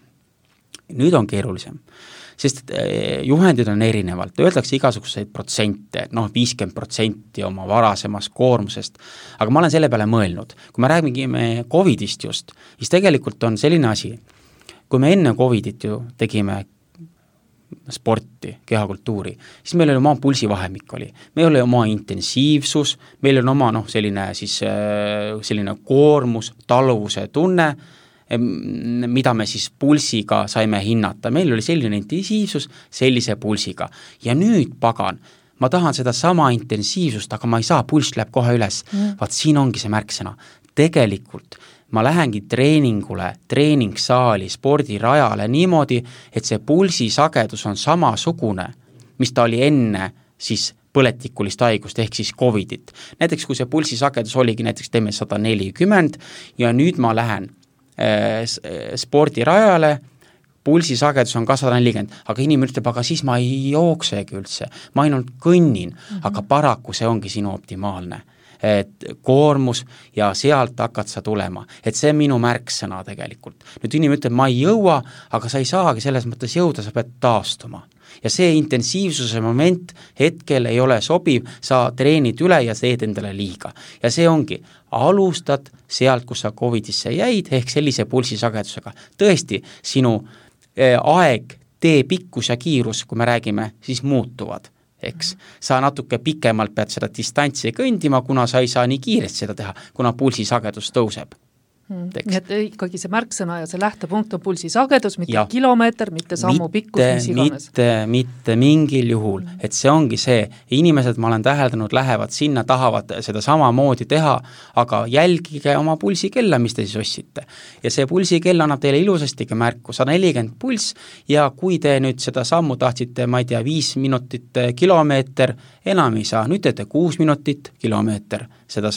Nüüd on keerulisem, sest juhendid on erinevalt, öeldakse igasuguseid protsente, noh viiskümmend protsenti oma varasemast koormusest, aga ma olen selle peale mõelnud, kui me räägime covidist just, siis tegelikult on selline asi, kui me enne covidit ju tegime sporti, kehakultuuri, siis meil oli oma pulsivahemik oli, meil oli oma intensiivsus, meil on oma noh, selline siis selline koormus, taluvuse tunne, mida me siis pulsiga saime hinnata, meil oli selline intensiivsus sellise pulsiga ja nüüd pagan, ma tahan seda sama intensiivsust, aga ma ei saa, pulss läheb kohe üles, mm. vaat siin ongi see märksõna, tegelikult ma lähengi treeningule, treeningsaali, spordirajale niimoodi, et see pulsisagedus on samasugune, mis ta oli enne siis põletikulist haigust ehk siis covidit. Näiteks kui see pulsisagedus oligi näiteks teeme sada nelikümmend ja nüüd ma lähen äh, spordirajale, pulsisagedus on ka sada nelikümmend, aga inimene ütleb, aga siis ma ei jooksegi üldse, ma ainult kõnnin, mm-hmm. aga paraku see ongi sinu optimaalne. Et koormus ja sealt hakkad sa tulema. Et see on minu märksõna tegelikult. Nüüd inimene ütleb, ma ei jõua, aga sa ei saagi selles mõttes jõuda, sa pead taastuma. Ja see intensiivsuse moment hetkel ei ole sobiv, sa treenid üle ja teed endale liiga. Ja see ongi, alustad sealt, kus sa covidisse jäid, ehk sellise pulsisagedusega. Tõesti, sinu eh, aeg, tee pikkus ja kiirus, kui me räägime, siis muutuvad. Eks. Sa natuke pikemalt pead seda distantsi kõndima, kuna sa ei saa nii kiiresti seda teha, kuna pulsisagedus tõuseb. Nii et ikkagi see märksõna ja see lähtepunkt on pulsisagedus, mitte ja. kilomeeter, mitte sammu pikkus, mis iganes. Mitte, mitte mingil juhul, mm. et see ongi see, inimesed, ma olen täheldanud, lähevad sinna, tahavad seda samamoodi teha, aga jälgige oma pulsikella, mis te siis ossite. Ja see pulsikell annab teile ilusasti märku, sada nelikümmend pulss, ja kui te nüüd seda sammu tahtsite, ma ei tea, viis minutit kilomeeter, enam ei saa, nüüd teete kuus minutit kilomeeter seda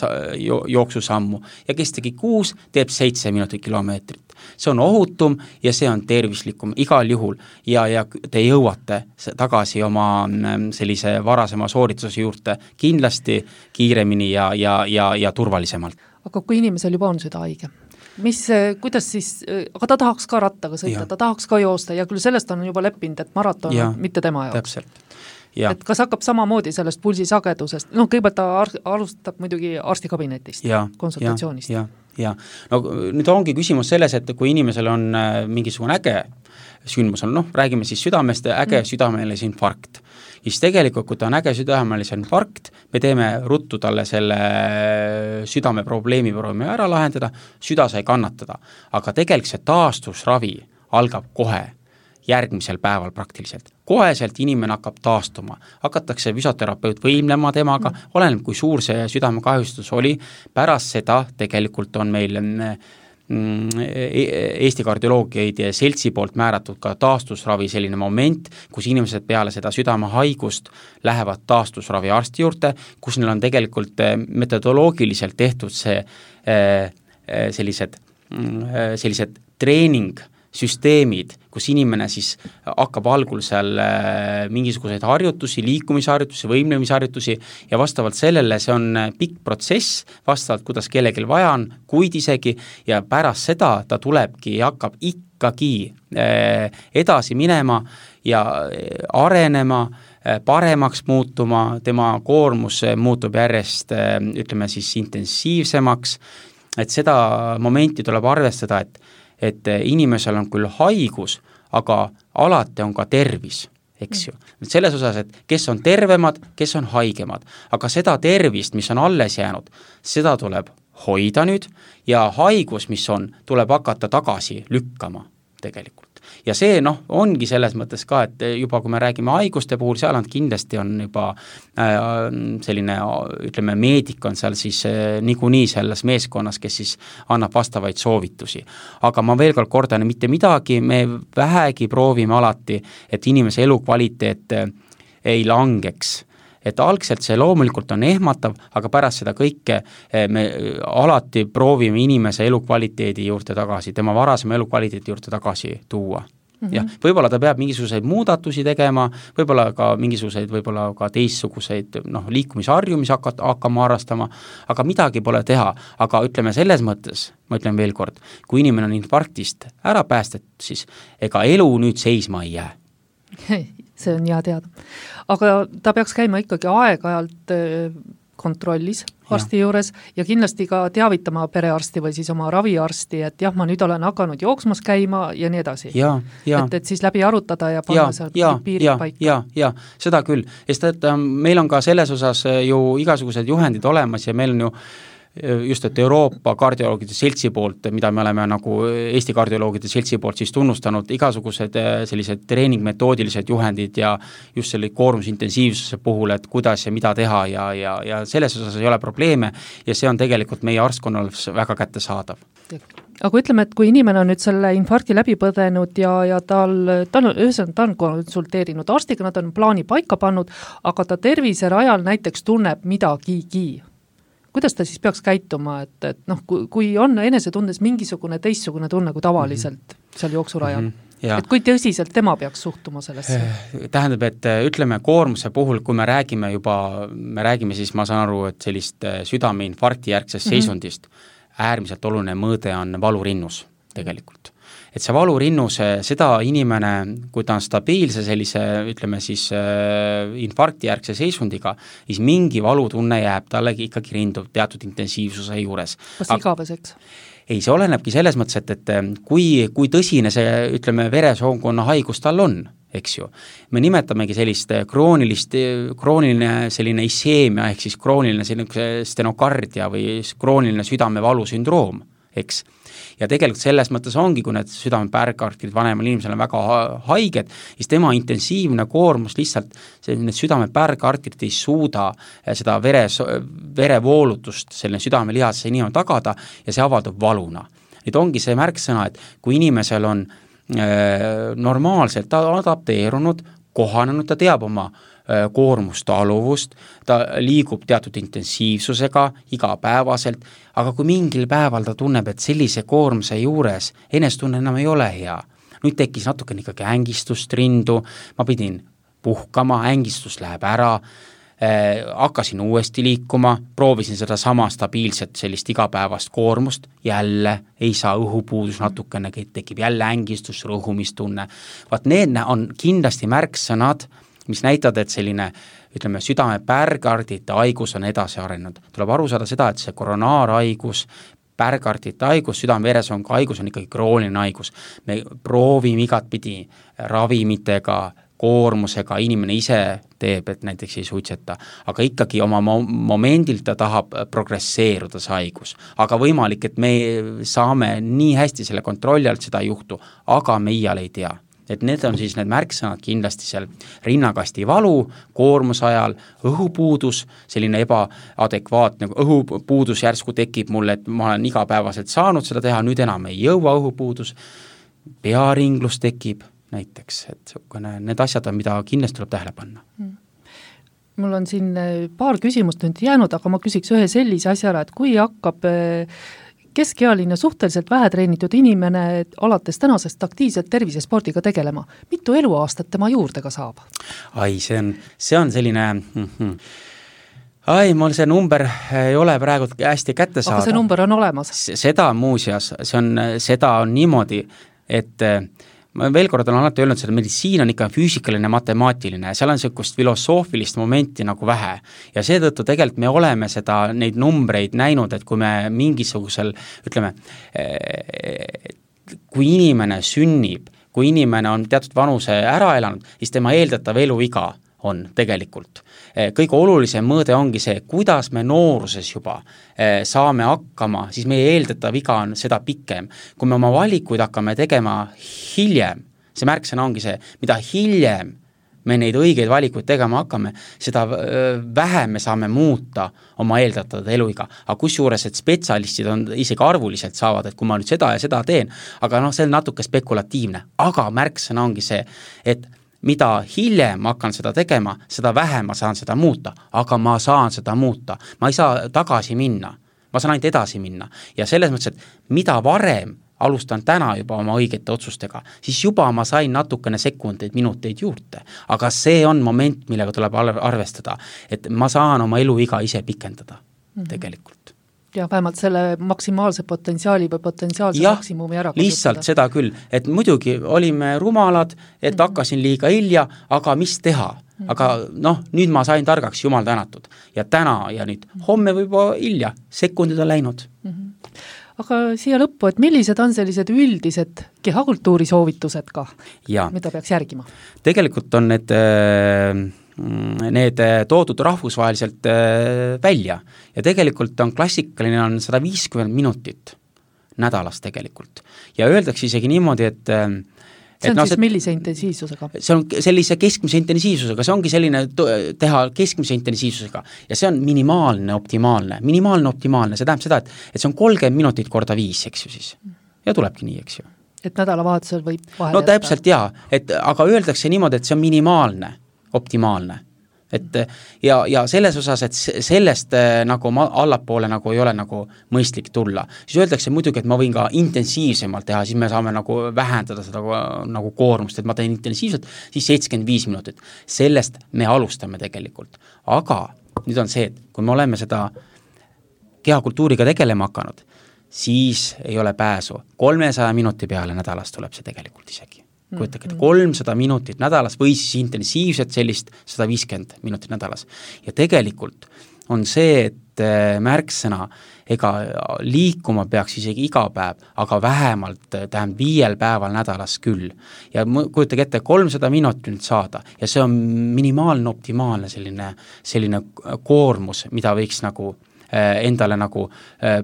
jooksusammu ja kes tegi kuus, teeb seitse minutit kilomeetrit. See on ohutum ja see on tervislikum igal juhul ja, ja te jõuate tagasi oma sellise varasema soorituse juurde kindlasti kiiremini ja, ja, ja, ja turvalisemalt. Aga kui inimesel juba on süda haige, mis, kuidas siis, aga ta tahaks ka rattaga sõita, ja. ta tahaks ka joosta ja küll sellest on juba leppinud, et maraton on mitte tema jaoks. Täpselt. Ja. Et kas hakkab samamoodi sellest pulsisagedusest, no kõigepealt ta ar- alustab muidugi arstikabinetist, ja, konsultatsioonist. Ja, ja, ja. No nüüd ongi küsimus selles, et kui inimesel on mingisugune äge sündmus, on, noh, räägime siis südamest, äge mm. südamelise infarkt. Ja siis tegelikult, kui ta on äge südamelise infarkt, me teeme ruttu talle selle südame probleemi proovime ära lahendada, süda sai kannatada. Aga tegelikult see taastusravi algab kohe järgmisel päeval praktiliselt. Koheselt inimene hakkab taastuma, hakatakse füsioterapeut võimlema temaga, mm. oleneb kui suur see südamekahjustus oli, pärast seda tegelikult on meil mm, Eesti kardioloogiaid ja seltsi poolt määratud ka taastusravi selline moment, kus inimesed peale seda südamehaigust lähevad taastusravi arsti juurde, kus neil on tegelikult metodoloogiliselt tehtud see sellised, sellised treening süsteemid, kus inimene siis hakkab algul seal mingisuguseid harjutusi, liikumisharjutusi, võimlemisharjutusi ja vastavalt sellele see on pikk protsess, vastavalt kuidas kellelgi vaja on, kuid isegi ja pärast seda ta tulebki ja hakkab ikkagi edasi minema ja arenema, paremaks muutuma, tema koormus muutub järjest, ütleme siis intensiivsemaks, et seda momenti tuleb arvestada, et et inimesel on küll haigus, aga alati on ka tervis, eks ju. Selles osas, et kes on tervemad, kes on haigemad, aga seda tervist, mis on alles jäänud, seda tuleb hoida nüüd ja haigus, mis on, tuleb hakata tagasi lükkama tegelikult. Ja see noh, ongi selles mõttes ka, et juba kui me räägime haiguste puhul, seal on kindlasti on juba äh, selline, ütleme, meedik on seal siis äh, niikuinii selles meeskonnas, kes siis annab vastavaid soovitusi. Aga ma veel kord kordan, mitte midagi, me vähegi proovime alati, et inimese elukvaliteet äh, ei langeks. Et algselt see loomulikult on ehmatav, aga pärast seda kõike me alati proovime inimese elukvaliteedi juurde tagasi, tema varasema elukvaliteedi juurde tagasi tuua. Mm-hmm. Ja võib-olla ta peab mingisuguseid muudatusi tegema, võib-olla ka mingisuguseid, võib-olla ka teistsuguseid noh, liikumisharjumis hakkama, hakkama harrastama, aga midagi pole teha. Aga ütleme selles mõttes, ma ütlen veel kord, kui inimene on infarktist ära päästet, siis ega elu nüüd seisma ei jää. See on hea teada. Aga ta peaks käima ikkagi aeg-ajalt kontrollis arsti ja. juures ja kindlasti ka teavitama perearsti või siis oma raviarsti, et jah, ma nüüd olen hakanud jooksmas käima ja nii edasi. Ja, ja. Et, et siis läbi arutada ja panna ja, seal ja, piirid ja, paika. Ja, ja, seda küll. Sest et meil on ka selles osas ju igasugused juhendid olemas ja meil on ju just, et Euroopa kardioloogide seltsi poolt, mida me oleme nagu Eesti kardioloogide seltsi poolt siis tunnustanud, igasugused sellised treeningmetoodilised juhendid ja just selle koormusintensiivsuse puhul, et kuidas ja mida teha ja, ja, ja selles osas ei ole probleeme ja see on tegelikult meie arstkonnal väga kättesaadav. Aga ütleme, et kui inimene on nüüd selle infarkti läbi põdenud ja, ja tal, tal on, ühesõnaga, ta on konsulteerinud arstiga, nad on plaani paika pannud, aga ta tervise rajal näiteks tunneb midagigi. Kuidas ta siis peaks käituma, et, et noh, kui, kui on enesetundes mingisugune teistsugune tunne kui tavaliselt mm-hmm. seal jooksurajal, mm-hmm. et kui tõsiselt tema peaks suhtuma sellesse? Tähendab, et ütleme koormuse puhul, kui me räägime juba, me räägime siis, ma saan aru, et sellist südameinfarkti järgsest mm-hmm. seisundist, äärmiselt oluline mõõde on valurinnus tegelikult. Et see valurinnus, seda inimene, kui ta on stabiilse sellise, ütleme siis äh, infarktijärgse seisundiga, siis mingi valutunne jääb talle ikkagi rindu teatud intensiivsuse juures. Kas igaveseks? Ei, see olenebki selles mõttes, et, et kui, kui tõsine see, ütleme, veresoonkonna haigus tal on, eks ju. Me nimetamegi sellist kroonilist, krooniline selline iseemia, ehk siis krooniline selline stenokardia või krooniline südamevalusündroom. eks. Ja tegelikult selles mõttes ongi, kui need südamepärgartid vanemal inimesel on väga haiged, siis tema intensiivne koormus lihtsalt, see, need südamepärgartid ei suuda seda vere, verevoolutust selline südamelihase inimene tagada ja see avaldub valuna. Nüüd ongi see märksõna, et kui inimesel on äh, normaalselt adapteerunud, kohanenud, ta teab oma koormust, taluvust, ta liigub teatud intensiivsusega igapäevaselt, aga kui mingil päeval ta tunneb, et sellise koormuse juures enestunne enam ei ole hea, nüüd tekkis natukene ikkagi ängistust rindu, ma pidin puhkama, ängistus läheb ära, äh, hakkasin uuesti liikuma, proovisin seda sama stabiilset sellist igapäevast koormust, jälle ei saa õhupuudus natukene, tekib jälle ängistus, rõhumistunne. Vaat need on kindlasti märksõnad, mis näitavad, et selline, ütleme, südamepärgardite haigus on edasi arenenud. Tuleb aru saada seda, et see koronaarhaigus, pärgardite haigus, südame-veresoonkonna haigus on ikkagi krooniline haigus. Me proovime igat pidi ravimitega, koormusega, inimene ise teeb, et näiteks ei suitseta, aga ikkagi oma momendilt ta tahab progresseeruda see haigus. Aga võimalik, et me saame nii hästi selle kontrolli alt seda ei juhtu, aga me iial ei tea. Et need on siis need märksõnad kindlasti seal rinnakasti valu, koormuse ajal, õhupuudus, selline ebaadekvaatne õhupuudus järsku tekib mulle, et ma olen igapäevaselt saanud seda teha, nüüd enam ei jõua õhupuudus, pearinglus tekib näiteks, et need asjad on, mida kindlasti tuleb tähele panna. Mul on siin paar küsimust nüüd jäänud, aga ma küsiks ühe sellise asja ära, et kui hakkab keskealine suhteliselt vähetreenitud inimene alates tänasest aktiivselt tervisespordiga tegelema. Mitu eluaastat tema juurde ka saab? Ai, see on, see on selline... Mm-hmm. Ai, mul see number ei ole praegu hästi kätte saada. Aga see number on olemas? Seda muuseas, see on, seda on niimoodi, et ma veel kord olen alati öelnud, et meditsiin on ikka füüsikaline, matemaatiline ja seal on sellist filosoofilist momenti nagu vähe. Ja seetõttu tegelikult me oleme seda, neid numbreid näinud, et kui me mingisugusel, ütleme, kui inimene sünnib, kui inimene on teatud vanuse ära elanud, siis tema eeldatav eluiga on tegelikult. Kõige olulisem mõõde ongi see, kuidas me nooruses juba saame hakkama, siis meie eeldatav viga on seda pikem. Kui me oma valikuid hakkame tegema hiljem, see märksõna ongi see, mida hiljem me neid õigeid valikuid tegema hakkame, seda vähem me saame muuta oma eeldatavat eluiga. Aga kusjuures, et spetsialistid on isegi arvuliselt saavad, et kui ma nüüd seda ja seda teen, aga noh, see on natuke spekulatiivne. Aga märksõna ongi see, et mida hiljem ma hakkan seda tegema, seda vähem ma saan seda muuta, aga ma saan seda muuta. Ma ei saa tagasi minna, ma saan ainult edasi minna. Ja selles mõttes, et mida varem alustan täna juba oma õigete otsustega, siis juba ma sain natukene sekundeid, minuteid juurde. Aga see on moment, millega tuleb arvestada, et ma saan oma eluiga ise pikendada mm-hmm. tegelikult. Ja vähemalt selle maksimaalse potentsiaali või potentsiaalse ja, maksimumi ära kasutada. Lihtsalt seda küll, et muidugi olime rumalad, et mm-hmm. hakkasin liiga hilja, aga mis teha? Mm-hmm. Aga noh, nüüd ma sain targaks, jumal tänatud. Ja täna ja nüüd homme võib hilja, sekundid on läinud. Mm-hmm. Aga siia lõppu, et millised on sellised üldised kehakultuuri soovitused ka, ja. Mida peaks järgima? Tegelikult on need... Äh, need toodud rahvusvaheliselt välja ja tegelikult on klassikaline on sada viiskümmend minutit nädalas tegelikult ja öeldakse isegi niimoodi, et see on no, siis see, millise intensiivsusega? See on sellise keskmise intensiivsusega, see ongi selline teha keskmise intensiivsusega ja see on minimaalne, optimaalne, minimaalne, optimaalne, see tähendab seda, et, et see on kolmkümmend minutit korda viis, eks ju siis ja tulebki nii, eks ju. Et nädalavahetusel võib vahel no täpselt jaa, et aga öeldakse niimoodi, et see on minimaalne optimaalne. Et, ja, ja selles osas, et sellest nagu ma, allapoole nagu ei ole nagu mõistlik tulla. Siis öeldakse muidugi, et ma võin ka intensiivsemalt teha, siis me saame nagu vähendada seda nagu koormust, et ma teen intensiivselt, siis seitsekümmend viis minutit. Sellest me alustame tegelikult. Aga nüüd on see, et kui me oleme seda kehakultuuriga tegelema hakanud, siis ei ole pääsu. kolmesaja minuti peale nädalas tuleb see tegelikult isegi. Kujutage, et kolmsada minutit nädalas või siis intensiivselt sellist sada viiskümmend minutit nädalas. Ja tegelikult on see, et märksõna, ega liikuma peaks isegi iga päev, aga vähemalt tähendab viiel päeval nädalas küll. Ja kujutage ette, kolmsada minutit saada ja see on minimaalne, optimaalne selline, selline koormus, mida võiks nagu endale nagu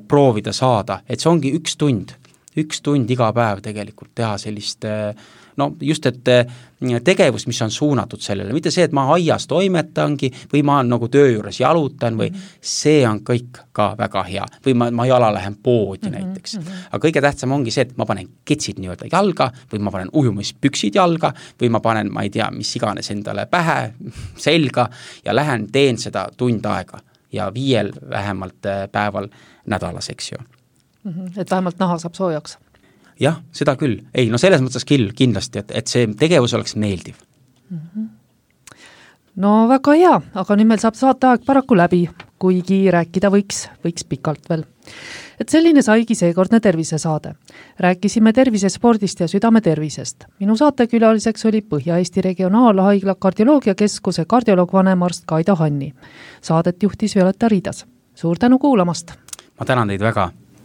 proovida saada, et see ongi üks tund, üks tund iga päev tegelikult teha sellist no just, et tegevus, mis on suunatud sellele, mitte see, et ma aias toimetangi või ma nagu töö juures jalutan või mm-hmm. see on kõik ka väga hea või ma, ma jala lähen poodi mm-hmm. näiteks. Aga kõige tähtsam ongi see, et ma panen ketsid nii-öelda jalga või ma panen ujumispüksid jalga või ma panen, ma ei tea, mis iganes endale pähe, selga ja lähen teen seda tund aega ja viiel vähemalt päeval nädalas, eks ju. Mm-hmm. Et vähemalt naha saab soojaks. Jah, seda küll. Ei, no selles mõttes küll kindlasti, et, et see tegevus oleks meeldiv. Mm-hmm. No väga hea, aga nüüd meil saab saateaeg paraku läbi, kuigi rääkida võiks, võiks pikalt veel. Et selline saigi seekordne tervisesaade. Rääkisime tervisespordist ja südametervisest. Minu saatekülaliseks oli Põhja-Eesti Regionaalhaigla kardioloogiakeskuse kardioloog vanemarst Kaido Hanni. Saadet juhtis Violeta Riidas. Suur tänu kuulamast! Ma tänan teid väga!